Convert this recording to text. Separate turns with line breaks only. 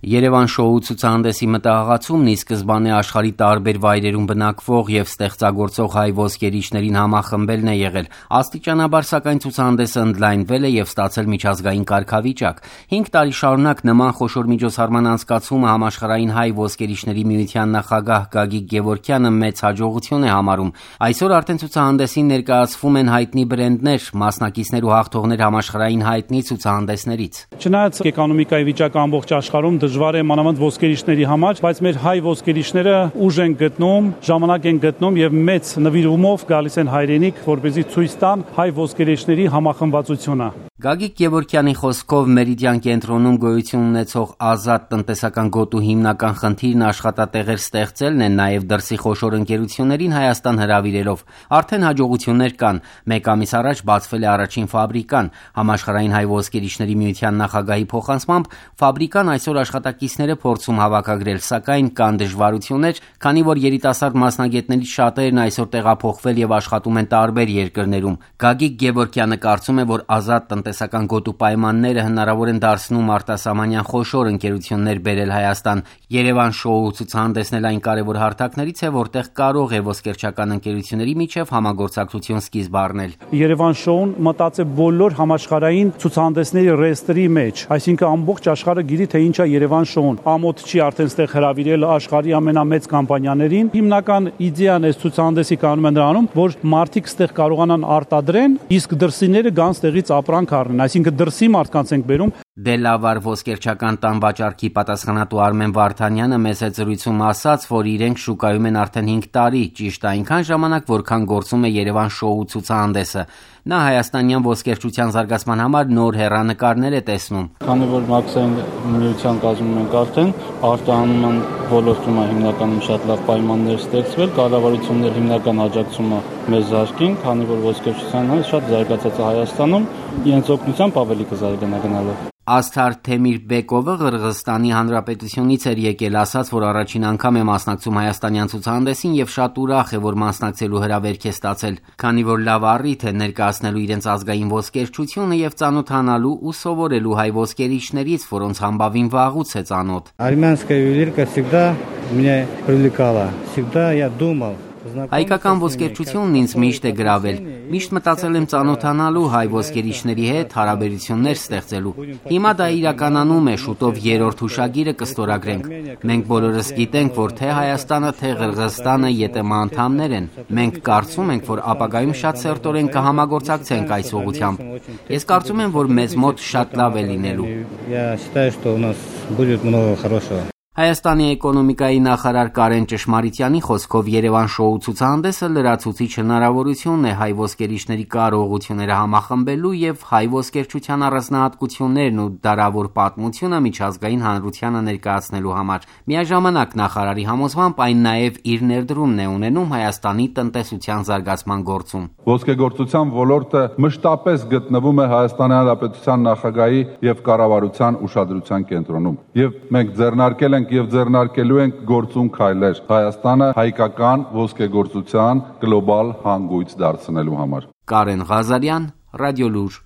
Երևան շոու ցուցահանդեսի մտահղացումն ի սկզբանե աշխարհի տարբեր վայրերում բնակվող եւ ստեղծագործող հայ ոսկերիչներին համախմբելն է եղել։ Աստիճանաբար, սակայն, ցուցահանդեսը ընդլայնվել է եւ ստացել միջազգային կարգավիճակ։ 5 տարի շարունակ նման խոշոր միջոցառման անցկացումը համաշխարհային հայ ոսկերիչների միության նախագահ Գագիկ Գևորգյանը մեծ հաջողություն է համարում։ Այսօր արդեն ցուցահանդեսին ներկայացվում են հայտնի բրենդներ, մասնակիցներ ու հաղթողներ համաշխարհային հայտնի ցուցահանդեսներից։
Չնայած էկոնոմիկայի վիճակը ամբողջ աշխարհում դժվար է մանավանդ ոսկերիչների համար, բայց մեր հայ ոսկերիչները ուժ են գտնում, ժամանակ են գտնում եւ մեծ նվիրումով գալիս են հայրենիք, որպեսզի ցույց տան հայ ոսկերիչների համախմբվածությունը։
Գագիկ Գևորգյանի խոսքով Մերիդիան կենտրոնում գոյություն ունեցող ազատ տնտեսական գոտու հիմնական խնդիրն աշխատատեղեր ստեղծելն է, նաև դրսի խոշոր ընկերություններին Հայաստան հրավիրելով։ Արդեն հաջողություններ կան։ 1 ամիս առաջ բացվել է առաջին ֆաբրիկան։ Համաշխարհային հայ ոսկերիչների միության նախագահի փոխանցմամբ ֆաբրիկան այսօր աշխատակիցները փորձում հավաքագրել, սակայն կան դժվարություններ, քանի որ երիտասարդ մասնագետներից շատերն այսօր տեղափոխվել եւ աշխատում են տարբեր երկրներում։ Գագիկ Գևորգյանը կարծում է, որ ազատ տնտեսական գոտու պայմանները հնարավոր են դարձնում արտասահմանյան խոշոր ընկերություններ բերել Հայաստան։ Երևան շոու ցուցահանդեսն էլ այն կարևոր հարթակներից է, որտեղ կարող է ոսկերչական ընկերությունների միջև համագործակցություն սկիզբ առնել։
Երևան շոուն մտած է բոլոր համաշխարհային ցուցահանդեսների ռեեստրի մեջ, այսինքն ամբողջ աշխարհը գիտի, թե ինչ է Երևան շոուն։ Ամոթ չի արդեն ստեղ հրավիրել աշխարհի ամենամեծ կամպանիաներին։ Հիմնական իդեան այս ցուցահանդեսի կանոնում է նրանում, որ մարդիկ ստեղ կարողանան արտադրեն, իսկ դրսիները գան ստեղից ապրանք առնեն, այսինքն դրսի մարդկանց ենք բերում։
Դելավար ոսկերչական տան վաճառքի պատասխանատու Արմեն Վարդանյանը մեծ զրույցում ասաց, որ իրենք շուկայում են արդեն 5 տարի, ճիշտ այնքան ժամանակ, որքան գործում է Երևան շոու ցուցահանդեսը։ Նա հայաստանյան ոսկերչության զարգացման համար նոր հեռանկարներ է տեսնում։
Քանի որ մաքսային միության կազմում ենք արդեն, արտահանման ոլորտում հիմնականում շատ լավ պայմաններ ստեղծվել, կառավարություններ հիմնական աջակցումը մեզ զարգին, քանի որ ոսկերչության շատ զարգացած է Հայաստանում, իրենց օգնությամբ ավելի կզարգանա գնալով։
Ասթար Թեմիրբեկովը Ղրղըզստանի Հանրապետությունից էր եկել, ասաց, որ առաջին անգամ է մասնակցում հայաստանյան ցուցահանդեսին եւ շատ ուրախ է, որ մասնակցելու հրավերք է ստացել, քանի որ լավ առիթ է ներկայացնելու իրենց ազգային ոսկերչությունը եւ ծանոթանալու ու սովորելու հայ ոսկերիչներից, որոնց համբավին վաղուց է ծանոթ։
Армянская ювелирка всегда меня привлекала. Всегда я думал.
Հայկական ոսկերչությունն ինձ միշտ է գրավել։ Միշտ մտածել եմ ծանոթանալու հայ ոսկերիչների հետ, հարաբերություններ ստեղծելու։ Հիմա դա իրականանում է, շուտով 3-րդ հուշագիրը կստորագրենք։ Մենք բոլորս գիտենք, որ թե Հայաստանը, թե Ղրղըզստանը ԵՏՄ անդամներ են։ Մենք կարծում ենք, որ ապագայում շատ սերտորեն կհամագործակցենք այս ուղղությամբ։ Ես կարծում եմ, որ մեզ մոտ շատ լավ է լինելու։ Հայաստանի էկոնոմիկայի նախարար Կարեն Ճշմարիտյանի խոսքով Երևան շոու ցուցահանդեսը լրացուցիչ հնարավորություն է հայ ոսկերիչների կարողությունները համախմբելու եւ հայ ոսկերչության առանձնահատկություններն ու դարավոր պատմությունը միջազգային հանրությանը ներկայացնելու համար։ Միաժամանակ նախարարի համոզմամբ այն նաեւ իր ներդրումն է ունենում Հայաստանի տնտեսության զարգացման գործում։
Ոսկեգործության ոլորտը մշտապես գտնվում է Հայաստանի Հանրապետության նախագահի եւ կառավարության ուշադրության կենտրոնում։ Եվ մենք ձեռնարկել եւ ձեռնարկելու ենք գործուն քայլեր Հայաստանը հայկական ոսկեգործության գլոբալ հանգույց դարձնելու համար։
Կարեն Ղազարյան, Ռադիոլուր։